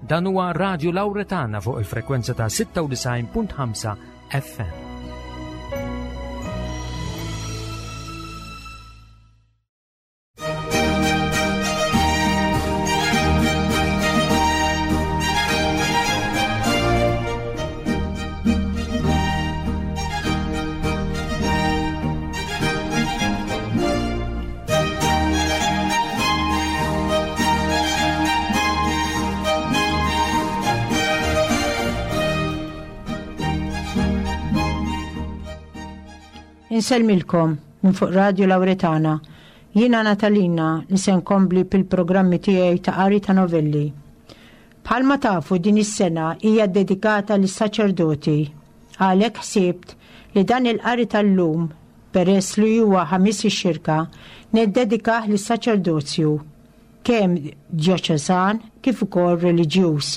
Dan huwa Radio Lauretana fuq il-frekwenza ta' 96.5 FM. Insellmilkom minn fuq Radio Lauretana. Jiena Natalina li se nkompli bil-programmi tiegħi ta' qari ta' novelli. Bħalma tafu din is-sena hija dedikata lis-saċerdoti. Għalhekk ħsibt li dan il-qari tal-lum, peress li huwa Ħamis ix-Xirka, niddedikah lis-saċerdozju, kemm djoċesan kif ukoll reliġjuż.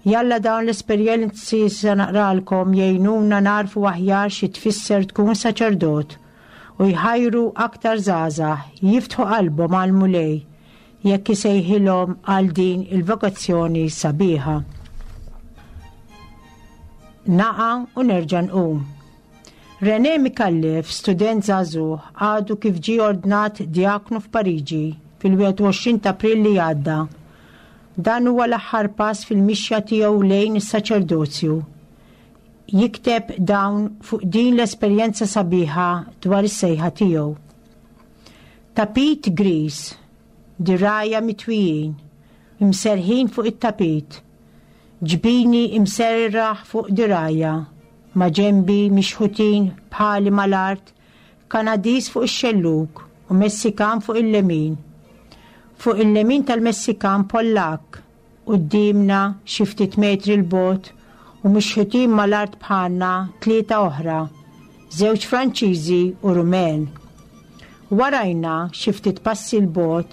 Jalla dawn l-esperjenzi se naqralkom jgħinuna nagħrfu aħjar xi tfisser tkun saċerdot u jħajru aktar żgħażagħ jiftħu qalbhom għall-Mulej jekk isejħilhom għal din il-vokazzjoni sabiħa. Naqa' u nerġa' nqum. René Micallef, student żagħżugħ, għadu kif ġie ordnat djaknu f'Pariġi fil-21 ta' April li għadda. Dan huwa l-aħħar pass fil-mixja tiegħu lejn is-saċerdozju. Jikteb dawn fuq din l-esperjenza sabiħa dwar is-sejħa tiegħu. Tapit griż, dirgħajja mitwijin, imserrħin fuq it-tapit, ġbini imserraħ fuq dirgħajja, maġenbi mixħutin bħali mal-art, Kanadiż fuq ix-xellug u Messikan fuq il-lemin. Fuq il-lemin tal-Messikan Pollakk, Quddiemna, xi ftit metri 'l bogħod, u mixħutin mal-art bħalna, tlieta oħra, żewġ Franċiżi u Rumen. Warajna, xi ftit passi 'l bogħod,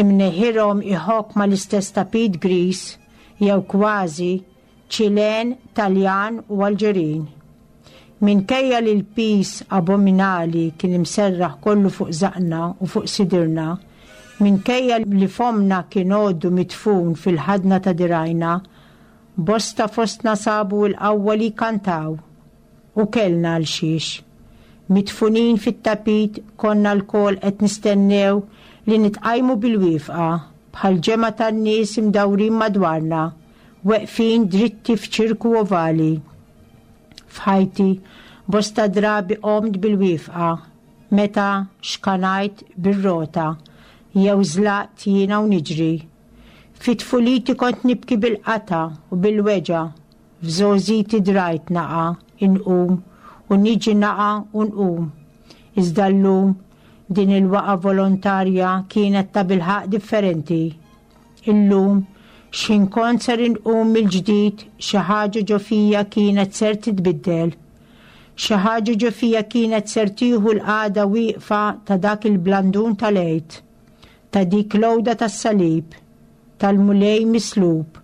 imneħirhom iħokk mal-istess tapit griż, jew kważi, Ċilen, Taljan u Alġerin. Minkejja li l-piż abominali kien imserraħ kollu fuq żaqna u fuq sidirna, minkejja li fommna kien għoddu midfun fil-ħadna ta' dirgħajna, bosta fostna sabu l-qawwa li jkantaw. U kellna għal xiex. Midfunin fit-tapit konna lkoll qed nistennew li nitqajmu bil-wifqa bħal ġemgħa tan-nies imdawrin madwarna weqfin dritti f'ċirku ovali. F'ħajti, bosta drabi qomt bil-wifqa meta xkanajt bir-rota jew żlaqt jiena u niġri. Fi tfuliti kont nibki bil-qatgħa u bil-weġgħa, f'żgħożiti drajt naqa' inqum u niġi naqa' u nqum. Iżda llum, din il-waqgħa volontarja kienet tabilħaqq differenti. Illum, x'ħin kont ser inqum mill-ġdid, xi ħaġa ġo fija kienet ser titbiddel. Xi ħaġa ġo fija kienet ser tieħu l-qagħda wieqfa ta' dak il-blandun tal-Għid, ta' dik l-għuda tas-salib, tal-Mulej mislub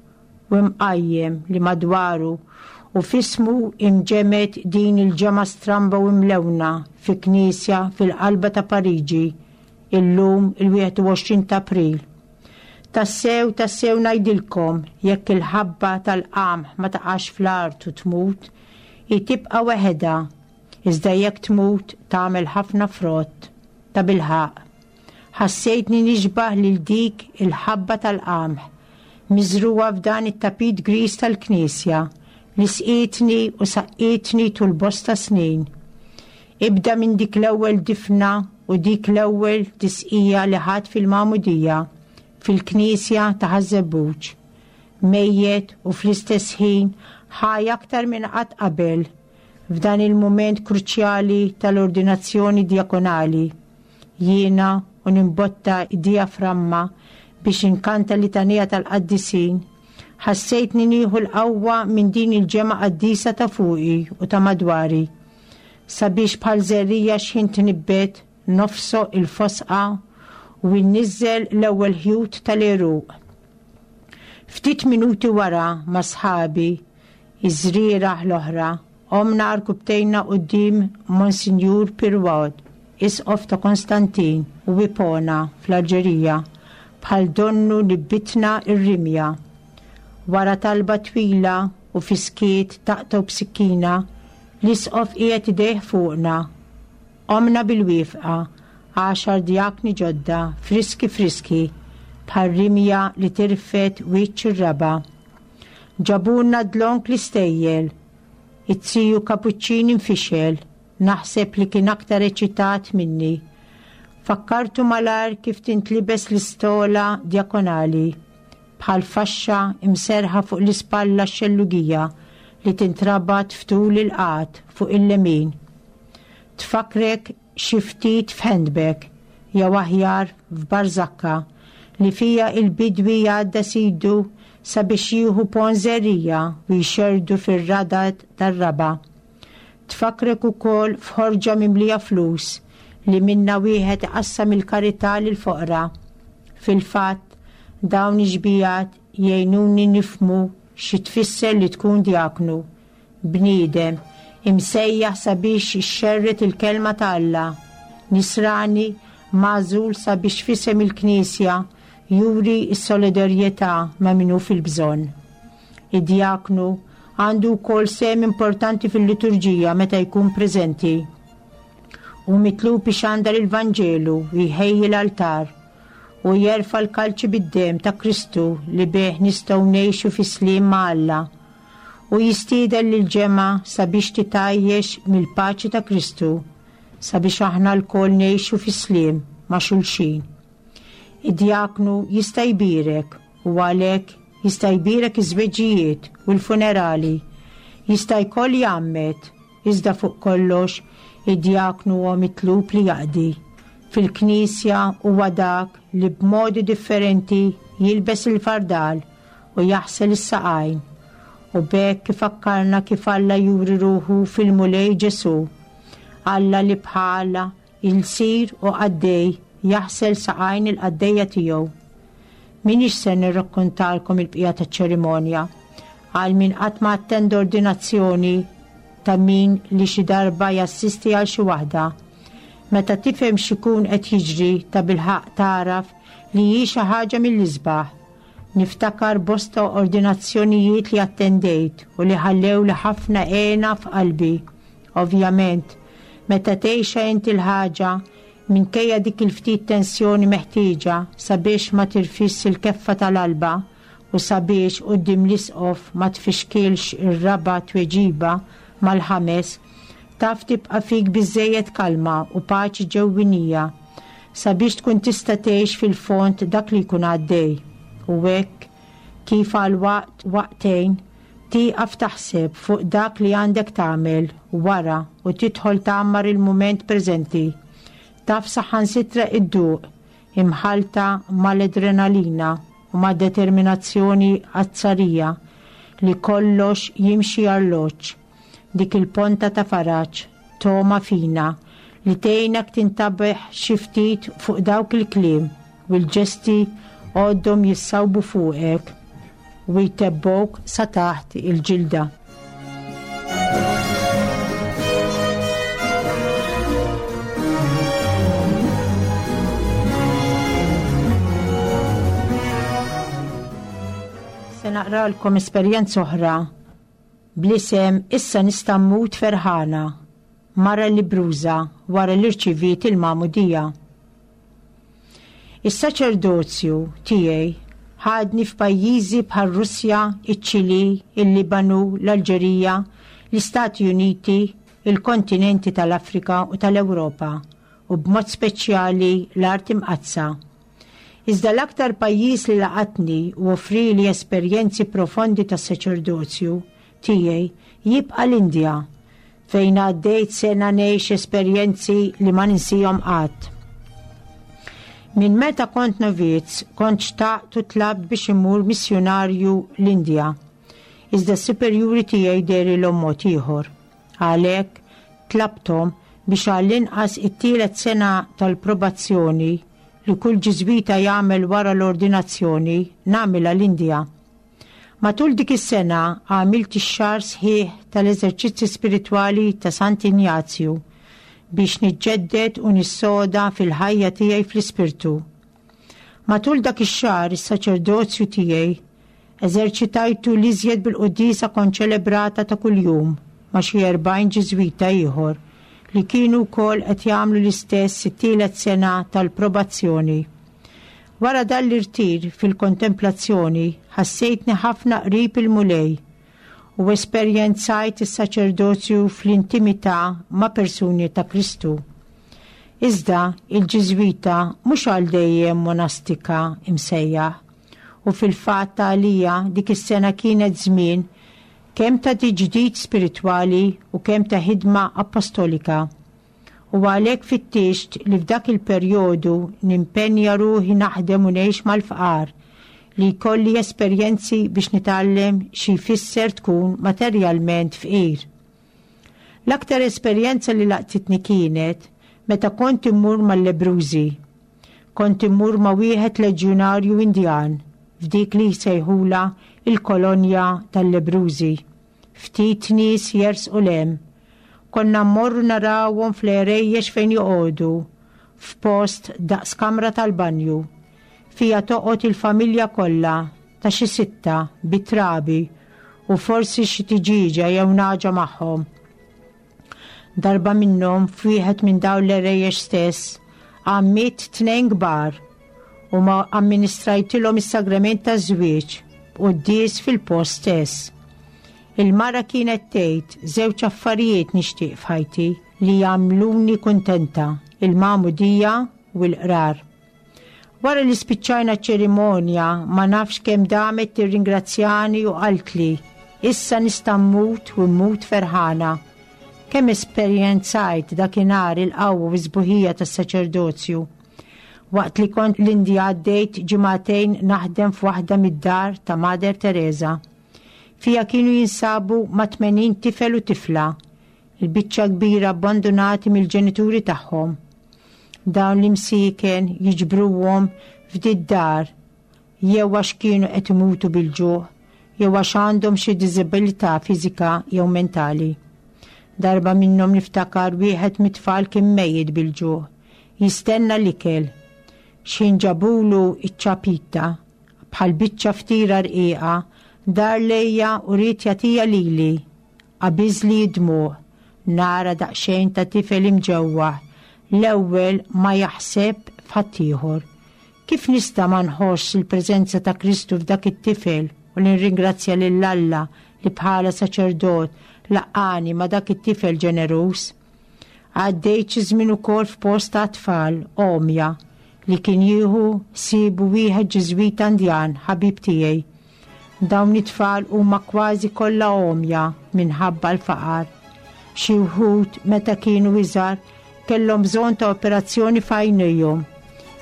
u mqajjem li madwaru u f'ismu imġemgħet din il-ġemgħa stramba u mlewna fi knisja fil-qalba ta' Pariġi, illum il-21 ta' April. Tassew, tassew ngħidilkom, jekk il-ħabba tal-qamħ ma taqax fl-art u tmut, hi tibqa' weħedha, iżda jekk tmut tagħmel ħafna frott. Tabilħaqq, ħassejtni nixbah lil dik il-ħabba tal-qamħ miżrugħa f'dan it-tapit griż tal-knisja li sqietni u saqqietni tul bosta snin. Ibda minn dik l-ewwel difna u dik l-ewwel tisqija li ħadt fil-magħmudija fil-knisja ta' Ħaż-Żebbuġ. Mejjet u fl-istess ħin ħaj aktar minn qatt qabel f'dan il-mument kruċjali tal-ordinazzjoni djakonali. Jiena u nimbotta d-dijaframma biex inkanta l-litanija tal-qaddisin, ħassejtni nieħu l-qawwa minn din il-ġemgħa qaddisa ta' fuqi u ta' madwari. Sabiex bħal żerriegħa x'ħin tnibbet nofsoq il-fosqa u nniżżel l-ewwel ħjut tal-għeruq. Ftit minuti wara ma' sħabi, iż-żrieragħ l-oħra, qomna għarkupptejna quddiem Monsinjur Pirwaud, Isqof ta' Konstantin u Ipona fl-Alġerija, bħal donnu nibbitna r-rimja. Wara talba twila u fis-skiet taqtgħu b'sikkina, l-Isqof qiegħed idejh fuqna. Qomna bil-wifqa, għaxar djakni ġodda, friski friski, bħal rimja li tirfed wiċċ ir-raba'. Ġabulna dlonk l-istejjel. Iz-ziju Kapuċċin infixel, naħseb li kien aktar eċitat minni. Fakkartu malajr kif tintlibes l-istola djakonali, bħal faxxa imserrħa fuq l-ispalla x-xellugija li tintrabat f'tul il-qagħad fuq il-lemin. Tfakkrek xi ftit f'handbag, jew aħjar f'barżakka, li fiha il-bidwi jgħaddas idu sabiex jieħu ponn żerriegħa u jxerrdu fir-radad tar-raba'. Tfakkrek ukoll f'ħorġa mimlija flus li minnha wieħed iqassam il-karità lill-foqra. Fil-fatt, dawn ix-xbiehat jgħinuni nifhmu xi tfisser li tkun djaknu, bniedem imsejjaħ sabiex ixxerred il-Kelma ta' Alla, Nisrani magħżul sabiex f'isem il-Knisja juri s-solidarjetà ma' min hu fil-bżonn. Id-djaknu għandu wkoll sehem importanti fil-liturġija meta jkun preżenti. Hu mitlub ixandar il-Vanġelu u jħejji l-altar u jerfa' l-kalċi bid-demm ta' Kristu li bih nistgħu ngħixu fis-sliem ma' Alla. U jistieden lill-ġemgħa sabiex titgħajjex mill-paċi ta' Kristu sabiex aħna lkoll ngħixu fis-sliem ma' xulxin. Id-djaknu jista' jbierek u għalhekk jista' jbierek iż-żwiġijiet u l-funerali, jista' jkoll jgħammed, iżda fuq kollox id-djaknu huwa mitlub li jaqdi. Fil-Knisja huwa dak li b'modi differenti jilbes il-fardal u jaħsel is-saqajn, u b'hekk ifakkarna kif Alla juri ruħu fil-Mulej Ġesù, Alla li bħala Ilsir u qaddej jaħsel saqajn il-qaddejja tiegħu. M'iniex ser nirrakkontalkom il-bqija taċ-ċerimonja. Għal min qatt ma attenda ordinazzjoni ta' min li xi darba jassisti għal xi waħda. Meta tifhem x'ikun qed jiġri tabilħaqq tagħraf li hi xi ħaġa mill-isbaħ. Niftakar bosta ordinazzjonijiet li attendejt u li ħallewli ħafna hena f'qalbi. Ovvjament, meta tgħixha inti l-ħaġa, minkejja dik il-ftit tensjoni meħtieġa sabiex ma tirfisx il-keffa tal-alba u sabiex quddiem l-isqof ma tfixkilx ir-raba' tweġiba mal-ħames, taf tibqa' fik biżżejjed kalma u paċi ġewwinija sabiex tkun tista' tgħix fil-fond dak li jkun għaddej. U hekk kif għal waqt waqtejn Tieqaf taħseb fuq dak li għandek tagħmel wara u tidħol tgħammar il-mument preżenti. Taf saħansitra idduq, imħallta mal-adrenalina u mad-determinazzjoni azzarija li kollox jimxi arloġġ, dik il-ponta ta' faraġ, togħma fina, li tgħinek tintabeħ xi ftit fuq dawk il-kliem u l-ġesti għoddhom jissawbu fuqek u jtebbgħuk sa taħt il-ġilda. Se naqralkom esperjenza oħra bl-isem Issa nista' mmut ferħana, mara lebbruża wara li rċiviet il-magħmudija. Is-saċerdozju tiegħi ħadni f'pajjiżi bħar-Russja, iċ-Ċilì, il-Libanu, l-Alġerija, l-Istati Uniti, il-kontinenti tal-Afrika u tal-Ewropa, u b'mod speċjali l-Art Imqaddsa. Iżda l-aktar pajjiż li laqatni u offrieli esperjenzi profondi tas-saċerdozju tiegħi jibqa' l-Indja, fejn għaddejt sena ngħix esperjenzi li ma ninsihom qatt. Minn meta kont novizz kont xtaqt u tlabt biex immur missjunarju l-Indja. Iżda s-superjuri tiegħi dehrilhom mod ieħor. Għalhekk tlabthom biex għall-inqas it-tielet sena tal-probazzjoni li kull Ġiżwita jagħmel wara l-ordinazzjoni nagħmilha l-Indja. Matul dik is-sena għamilt ix-xahar sħiħ tal-Eżerċizzi Spiritwali ta' Sant'Injazju biex niġġedded u nissoda fil-ħajja tiegħi fl-ispirtu. Matul dak ix-xahar is-saċerdozju tiegħi. Eżerċitajtu l-iżjed bil-quddiesa konċelebrata ta' kuljum ma' xi 40 Ġiżwita ieħor li kienu wkoll qed jagħmlu l-istess it-tielet sena tal-probazzjoni. Wara dan l-irtir fil-kontemplazzjoni ħassejtni ħafna qrib il-Mulej u esperjenzajt is-saċerdozju fl-intimità ma' persuni ta' Kristu. Iżda il-Ġiżwita mhux għal dejjem monastika imsejjaħ u fil-fatt għalija dik is-sena kienet żmien kemm ta' tiġdid spiritwali u kemm ta' ħidma appostolika. U għalhekk fittixt li f'dak il-perjodu nimpenja ruħi naħdem u ngħix mal-fqar, li jkolli esperjenzi biex nitgħallem xi jfisser tkun materjalment fqir. L-aktar esperjenza li laqtitni kienet meta kont immur mal-lebbrużi. Kont immur ma' wieħed leġjunarju Indjan f'dik li jsejħulha il-kolonja tal-lebbrużi. Ftit nies jersqu 'l hemm. Konna mmorru narawhom fl-għerejjex fejn joqogħdu, f'post daqs kamra tal-banju. Fiha toqgħod il-familja kollha ta' xi sitta bit-trabi u forsi xi tiġieġa jew nagħġa magħhom. Darba minnhom f'wieħed minn dawn l-għerejjex stess għammidt tnejn kbar u ma amministrajtilhom is-sagrament taż-żwieġ b'quddies fil-post stess. Il-mara kienet tgħid żewġ affarijiet nixtieq f'ħajti li jagħmluni kuntenta, il-magħmudija u l-qrar. Wara li spiċċajna ċ-ċerimonja ma nafx kemm damet tirringrazzjani u qaltli, issa nista' mmut u mmut ferħana. Kemm esperjenzajt dakinhar il-qawwa u s-sbuħija tas-saċerdozju. Waqt li kont l-Indja għaddejt ġimagħtejn naħdem f'waħda mid-dar ta' Mother Teresa. Fiha kienu jinsabu ma' 80 tifel u tifla, il-biċċa kbira abbandunati mill-ġenituri tagħhom. Dawn l-imsieken jiġbruhom f'did-dar jew għax kienu qed imutu bil-ġuħ jew għax għandhom xi diżabilità fiżika jew mentali. Darba minnhom niftakar wieħed mit-tfal kien mejjet bil-ġuħ, jistenna l-ikel. X'ħin ġabulu iċ-ċapita, bħal biċċa ftira rqiqa, dar lejja u ried jagħtiha lili. Qabiżli d-dmugħ, nara daqsxejn ta' tifel imġewwaħ, l-ewwel ma jaħseb f'ħaddieħor. Kif nista' ma nħossx il-preżenza ta' Kristu f'dak it-tifel u nirringrazzja lil Alla li bħala saċerdot laqqagħni ma' dak it-tifel ġeneruż? Għaddejt xi żmien ukoll f'post ta' tfal għomja li kien jieħu ħsiebu wieħed Ġiżwita Indjan ħabib tiegħi. Dawn it-tfal huma kważi kollha għomja minħabba l-faqar. Xi wħud meta kienu iżgħar kellhom bżonn ta' operazzjoni f'għajnejhom,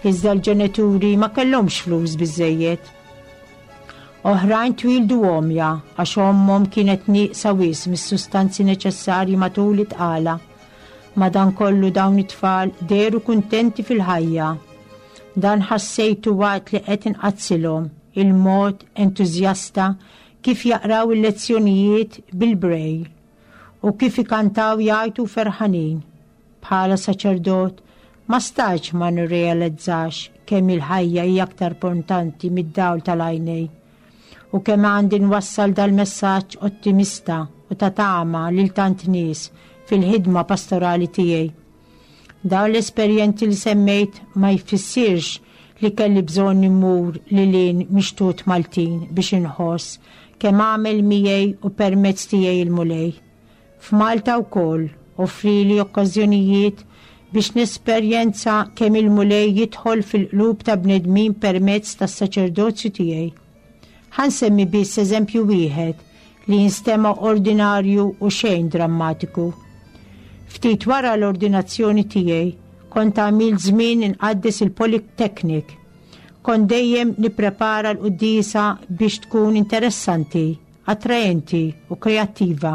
iżda l-ġenituri ma kellhomx flus biżżejjed. Oħrajn twieldu għomja għax ommhom kienet nieqsa wisq mis-sustanzi neċessarji matul it-tqala. Madankollu dawn it-tfal dehru kuntenti fil-ħajja. Dan ħassejtu waqt li qed inqaddsilhom il-mod entużjasta kif jaqraw il-lezzjonijiet bil-Braille u kif ikantaw jgħajtu ferħanin. Bħala saċerdot, ma stajtx ma nirrealizzax kemm il-ħajja hija aktar importanti mid-dawl tal-għajnejn u kemm għandi nwassal dal-messaġġ ottimista u ta' tama lil tant nies fil-ħidma pastorali tiegħi. Dawn l-esperjenzi li semmejt ma jfissirx li kelli bżonn immur lil hinn mix-xtut Maltin biex inħoss kemm għamel miegħi u permezz tiegħi l-Mulej. F'Malta wkoll offrili okkażjonijiet biex nesperjenza kemm il-Mulej jidħol fil-qlub ta' bnedmin permezz tas-saċerdozju tiegħi. Ħa nsemmi biss eżempju wieħed li jinstema' ordinarju u xejn drammatiku. Ftit wara l-ordinazzjoni tiegħi kont għamilt żmien inqaddes il-Polytechnic. Kont dejjem nipprepara l-quddiesa biex tkun interessanti attraenti u kreattiva.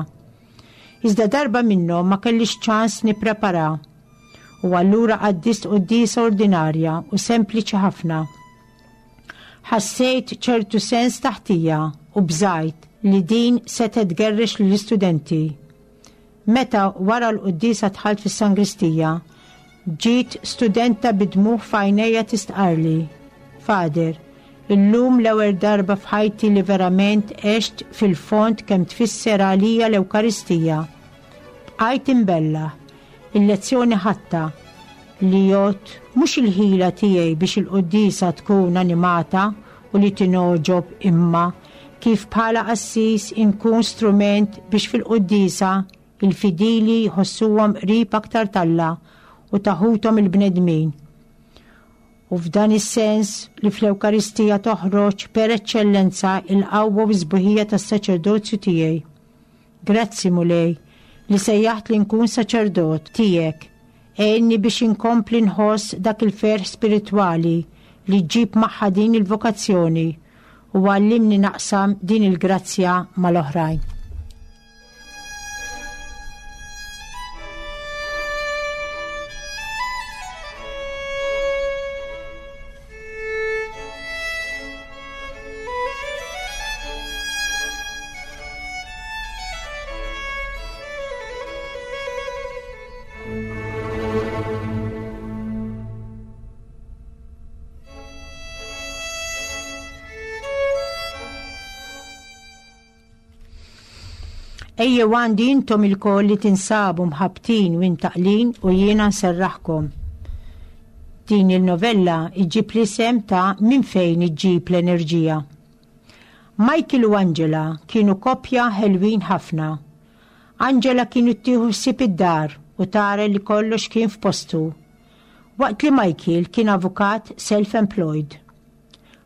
Iżda darba minnhom ma kellix ċans nipprepara u allura qaddist quddiesa ordinarja u sempliċi ħafna. Ħassejt ċertu sens ta' ħtija u bżajt li din setgħet tgerrex lill-istudenti. Meta wara l-quddiesa dħalt fis-sangristija, ġiet studenta bid-dmugħ f'għajnejha tistqarrli, Father, Illum l-ewwel darba f'ħajti li verament għext fil-fond kemm tfisser għalija l-Ewkaristija. Bqajt imbellah. Il-lezzjoni ħadtha, li jgħodd mhux il-ħila tiegħi biex il-quddiesa tkun animata u li tingħoġob imma kif bħala qassis inkun strument biex fil-quddiesa il-fidili jħossuhom qrib aktar t'Alla u ta' ħuthom il-bnedmin. U f'dan is-sens li fl-Ewkaristija toħroġ per eċċellenza il-qawwa u s-sbuħija tas-saċerdozju tiegħi. Grazzi, Mulej, li sejjaħtli nkun saċerdot tiegħek. Għinni biex inkompli nħoss dak il-ferħ spiritwali li ġġib magħha din il-vokazzjoni u għallimni naqsam din il-grazzja mal-oħrajn. Ejjew għandi intom ilkoll li tinsabu mħabbtin u imtaqqlin u jiena nserraħkom. Din il-novella iġġib l-isem ta' Min fejn iġġib l-enerġija. Michael u Angela kienu koppja ħelwin ħafna. Angela kienu tieħu ħsieb id-dar u tara li kollox kien f'postu. Waqt li Michael kien avukat self-employed.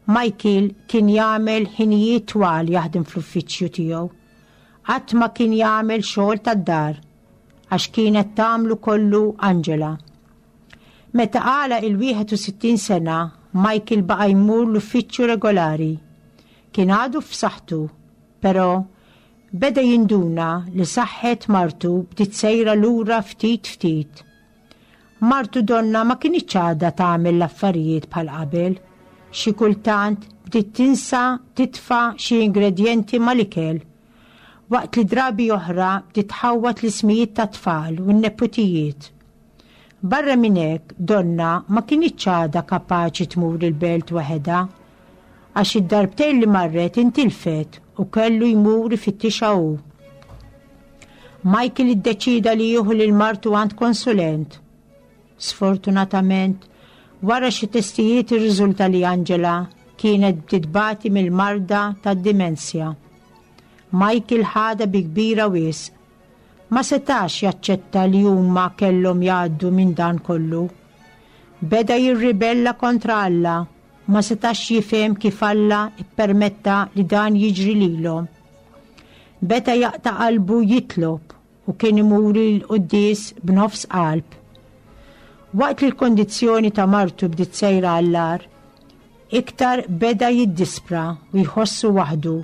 Michael kien jagħmel ħinijiet twal jaħdem fl-uffiċċju tiegħu. Qatt ma kien jagħmel xogħol tad-dar għax kienet tagħmlu kollu Angela. Meta għalaq il-61 sena, Michael baqa' jmur l-uffiċċju regolari. Kien għadu f'saħħtu, però beda jinduna li saħħet martu bdiet sejra lura ftit ftit. Martu donnha ma kinitx għadha tagħmel l-affarijiet bħal qabel. Xi kultant bdiet tinsa titfa' xi ingredjenti mal-ikel. Waqt li drabi oħra bdiet tħawwad l-ismijiet tat-tfal u n-neputijiet. Barra minn hekk donnha ma kinitx għadha kapaċi tmur il-belt waħedha. Għax id-darbtejn li marret intilfet u kellu jmur ifittixha hu. Michael iddeċieda li jieħu lil martu għand konsulent. Sfortunatament, wara xi testijiet irriżulta li Angela kienet bdiet tbati mill-marda tad-dimensja. Michael ħadha bi kbira wisq. Ma setax jaċċetta li huma kellhom jgħaddu minn dan kollu. Beda jirribella kontra Alla, ma setax jifhem kif Alla ppermetta li dan jiġri lilhom. Beda jaqta' qalbu jitlob u kien imur il-quddies b'nofs qalb. Waqt li l-kondizzjoni ta' martu bdiet sejra għall-agħar, iktar beda jiddispra u jħossu waħdu.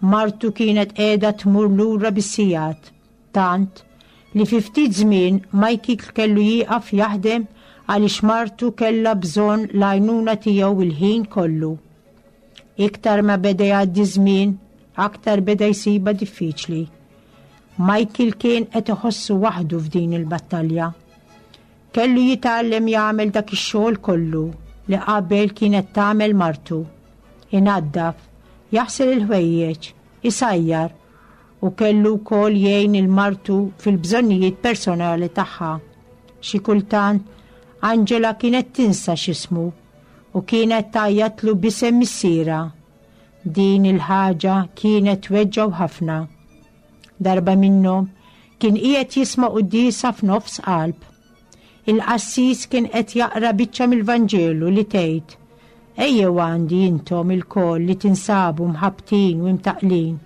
Martu kienet qiegħda tmur lura bis-sigħat, tant li fi ftit żmien Michael kellu jieqaf jaħdem għaliex martu kellha bżonn l-għajnuna tiegħu l-ħin kollu. Iktar ma beda jgħaddi żmien, aktar beda jsibha diffiċli. Michael kien qed iħossu waħdu f'din il-battalja. Kellu jitgħallem jagħmel dak ix-xogħol kollu li qabel kienet tagħmel martu. Inaddaf, jaħsel il-ħwejjeġ, isajjar u kellu wkoll jgħin il martu fil-bżonnijiet personali tagħha. Xi kultant Angela kienet tinsa x'ismu u kienet tgħajjatlu b'isem missierha. Din il-ħaġa kienet tweġġgħu ħafna. Darba minnhom kien qiegħed jisma' quddiesa f'nofs qalb. Il-qassis kien qed jaqra biċċa mill-Vanġelu li tgħid, Ejjew għandi intom ilkoll li tinsabu mħabbtin u imtaqqlin,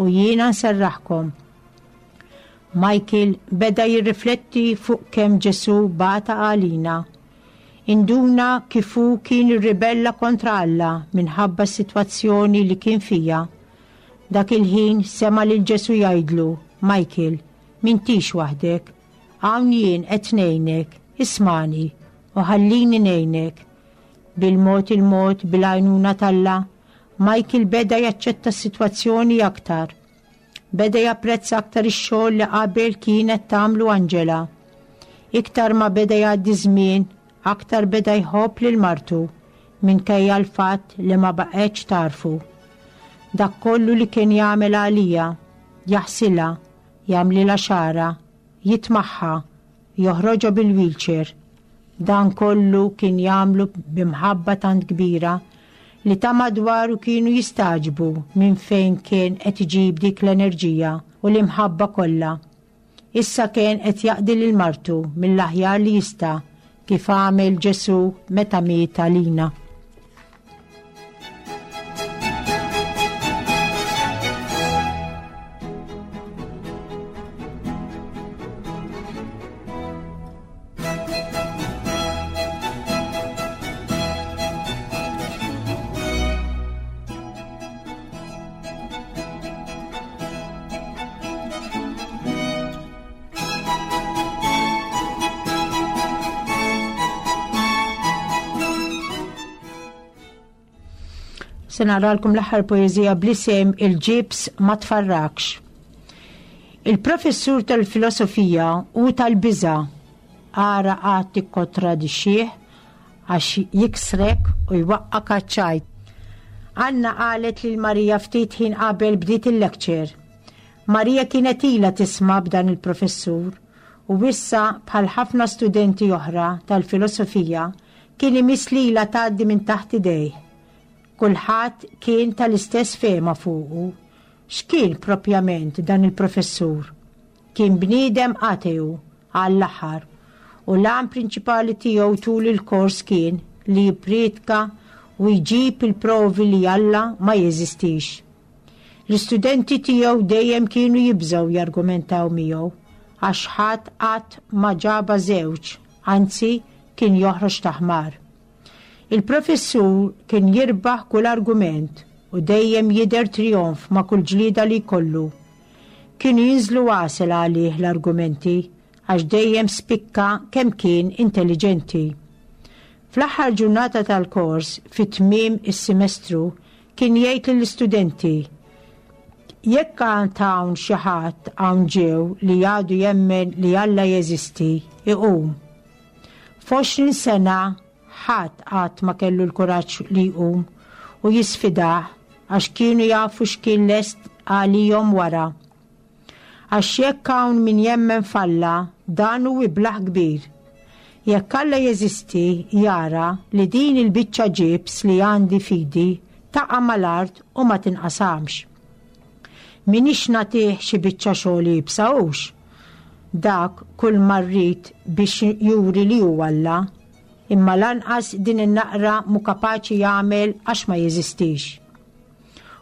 u jiena nserraħkom. Michael beda jirrifletti fuq kemm Ġesù bata għalina. Induna kif hu kien irribella kontra Alla minħabba s-sitwazzjoni li kien fiha. Dak il-ħin sema' lil Ġesù jgħidlu, Michael, m'intix waħdek. Hawn jien qed ngħinek, ismagħni u ħallini ngħinek. Bil-mod il-mod, bil-għajnuna t'Alla, Michael beda jaċċetta s-sitwazzjoni aktar. Beda japprezza aktar ix-xogħol li qabel kienet tagħmlu Angela. Iktar ma beda jgħaddi żmien, aktar beda jħobb lil martu. minkejja l-fatt li ma baqgħetx tagħrfu. Dak kollu li kien jagħmel għalija, jaħsilha, jagħmlilha xagħarha, jitmagħha, joħroġha bil-wheelchair. Dan kollu kien jagħmlu b'imħabba tant kbira li ta' madwaru kienu jistagħġbu minn fejn kien qed iġib dik l-enerġija u l-imħabba kollha. Issa kien qed jaqdi lil martu mill-aħjar li jista' kif għamel Ġesù meta miet għalina. Se naqralkom l-aħħar poeżija bl-isem Il-ġibs ma tfarrakx. Il-professur tal-filosofija u tal-biża' ara għad tikkontradixxih għax jiksrek u jwaqqak għaċ-ċajt. Anna qalet lil Marija ftit ħin qabel bdiet il-lecture. Marija kienet ilha tisma' b'dan il-professur u issa bħal ħafna studenti oħra tal-filosofija kien imiss lilha tgħaddi minn taħt idejh. Kulħadd kien tal-istess fehma fuqu. X'kien propjament dan il-professur? Kien bniedem ateu għall-aħħar u l-għan prinċipali tiegħu tul il-kors kien li jipprietka u jġib il-provi li Alla ma jeżistix. L-istudenti tiegħu dejjem kienu jibżgħu jargumentaw miegħu għax ħadd qatt ma ġabha żewġ, anzi kien joħroġ ta' ħmar. Il-professur kien jirbaħ kull argument u dejjem jidher trijonf ma' kull ġlieda li jkollu. Kienu jinżlu għasel għalih l-argumenti għax dejjem spikka kemm kien intelliġenti. Fl-aħħar ġurnata tal-kors, fi tmiem is-simestru, kien jgħid lill-istudenti, Jekk għand hawn xi ħadd hawn ġew li għadu jemmen li Alla jeżisti, iqum. F'għoxrin sena ħadd qatt ma kellu l-kuraġġ li jqum u jisfidah għax kienu jafu x'kien lest għalihom wara. Għax jekk hawn min jemmen f'Alla, dan hu iblah kbir. Jekk Alla jeżisti, jara li din il-biċċa ġibs li għandi f'idi taqa' mal-art u ma tinqasamx. M'iniex nagħtih xi biċċa xogħol iebsa hux? Dak kull ma rrid biex juri li hu Alla. Imma lanqas din in-naqra mhu kapaċi jagħmel għax ma jeżistix.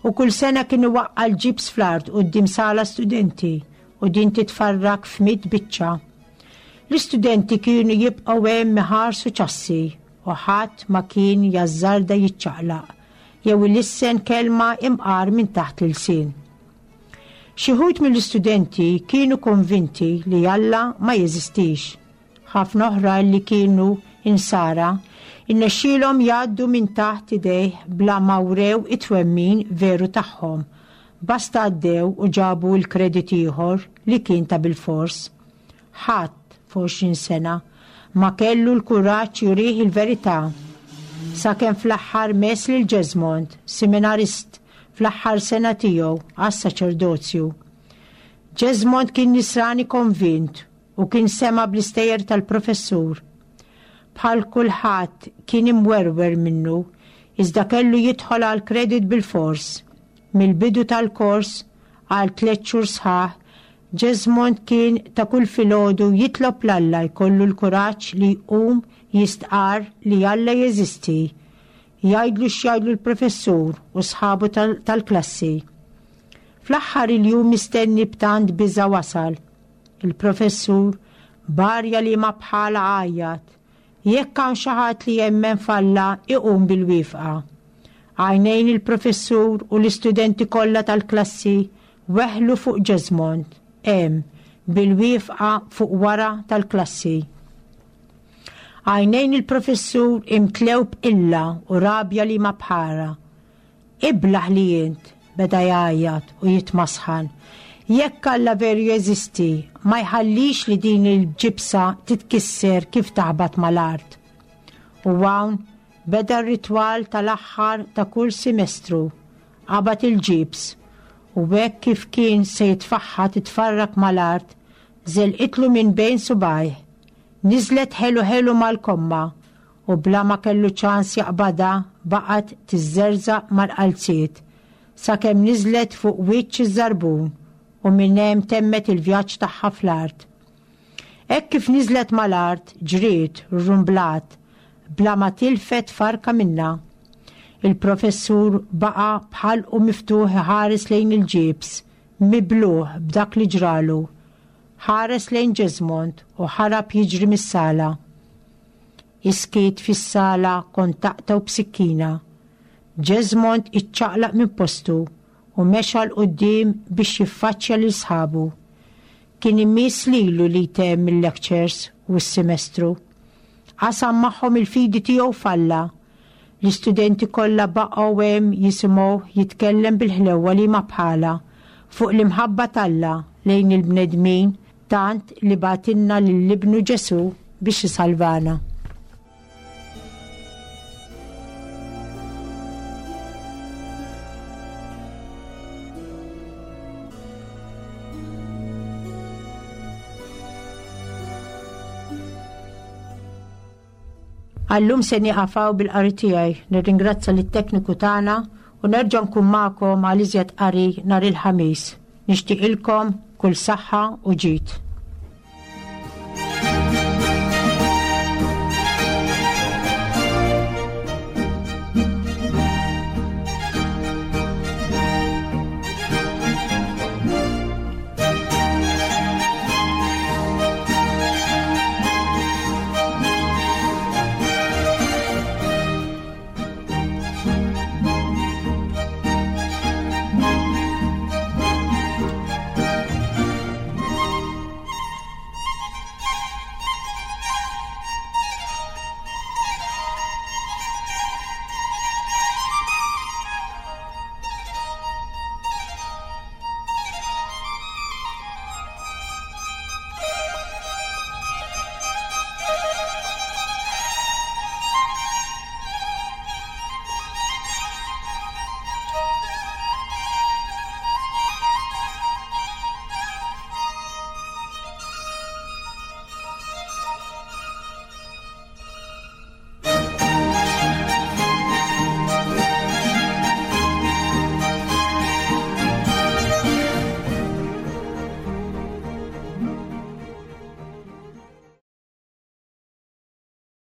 U kull sena kien iwaqqa' l-ġibs fl-art quddiem sala studenti u din titfarrak f'mitt biċċa. L-istudenti kienu jibqgħu hemm iħarsu ċassi u ħadd ma kien jażżarda jiċċaqlaq jew ilissen kelma imqar minn taħt l-ilsien. Xi wħud mill-istudenti kienu konvinti li Alla ma jeżistix. Ħafna oħrajn li kienu Insara rnexxielhom jgħaddu minn taħt idejh bla ma wrew it-twemmin veru tagħhom, basta għaddew u ġabu l-kredit ieħor li kien ta' bilfors. Ħadd, f'għoxrin sena, ma kellu l-kuraġġ jurih il-verità. Sakemm fl-aħħar mess lil Jesmond, seminarist fl-aħħar sena tiegħu għas-saċerdozju. Jesmond kien Nisrani konvint u kien sema' bl-istejjer tal-professur. Bħal kulħadd kien imwerwer minnu, iżda kellu jidħol għall-kredit bilfors. Mill-bidu tal-kors, għal tlett xhur sħaħ, Jesmond kien ta' kull filgħodu jitlob 'l Alla jkollu l-kuraġġ li jqum jistqarr li Alla jeżisti, jgħidlu x'jgħidlu l-professur u sħabu tal-klassi. Fl-aħħar il-jum mistenni b'tant biża' wasal. Il-professur, b'arja liema bħalha għajjat, Jekk hawn xi ħadd li jemmen f'Alla iqum bil-wifqa. Għajnejn il-professur u l-istudenti kollha tal-klassi weħlu fuq Jesmond, hemm, bil-wifqa fuq wara tal-klassi. Għajnejn il-professur imtlew b'qilla u rabja liema bħalha. Iblah li int! beda jgħajjat u jitmasħan. Jekk Alla veru jeżisti, ma jħallix li din il-ġibsa titkisser kif taħbat mal-art. U hawn Beda r-ritwal tal-aħħar ta' kull simestru. Qabad il-ġibs u hekk kif kien se jitfaħħa titfarrak mal-art, żelqitlu minn bejn subgħajh. Niżlet ħelu ħelu mal-komma u bla ma kellu ċans jaqbadha baqgħet tiżżerżaq mal-qalziet sakemm niżlet fuq wiċċ iż-żarbun u minn hemm temmet il-vjaġġ tagħha fl-art. Hekk kif niżlet mal-art, ġriet, rrumblat, bla ma tilfet farka minnha. Il-professur baqa' b'ħalqu miftuħ iħares lejn il-ġibs, mibluh b'dak li ġralu. Ħares lejn Jesmond u ħarab jiġri mis-sala. Is-skiet fis-sala kont taqtgħu b'sikkina. Jesmond iċċaqlaq minn postu u mexa 'l quddiem biex jiffaċċja lil sħabu. Kien imiss lilu li jtemm il-lectures u s-semestru. Qasam magħhom il-fidi tiegħu f'Alla. L-istudenti kollha baqgħu hemm jisimgħuh jitkellem bil-ħlewwa liema bħalha fuq l-imħabba t'Alla lejn il-bnedmin tant li bagħtilna lil Ibnu Ġesù biex isalvana. Għallum se nieqafaw bil-qari tiegħi, nirringrazza lit-tekniku tagħna u nerġa' nkun magħkom għal iżjed qari nhar il-Ħamis. Nixtieqilkom kull saħħa u ġid.